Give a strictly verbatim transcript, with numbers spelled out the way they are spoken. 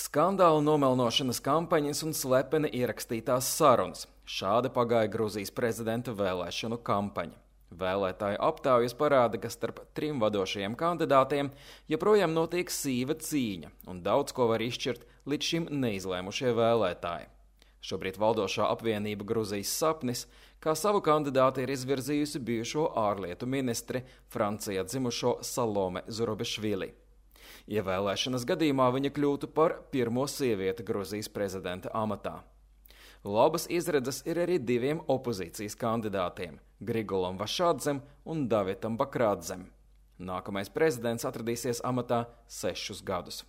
Skandāla nomelnošanas kampaņas un slepeni ierakstītās sarunas. Šādi pagāja Gruzijas prezidenta vēlēšanu kampaņa. Vēlētāju aptaujas parāda, ka starp trim vadošajiem kandidātiem joprojām notiek sīva cīņa, un daudz ko var izšķirt līdz šim neizlēmušie vēlētāji. Šobrīd valdošā apvienība Gruzijas sapnis, kā savu kandidāti ir izvirzījusi bijušo ārlietu ministri Francijā dzimušo Salome Zurabišvili. Ievēlēšanas gadījumā viņa kļūtu par pirmo sievieti Gruzijas prezidenta amatā. Labas izredzes ir arī diviem opozīcijas kandidātiem – Grigolam Vašadzem un Davidam Bakradzem. Nākamais prezidents atradīsies amatā sešus gadus.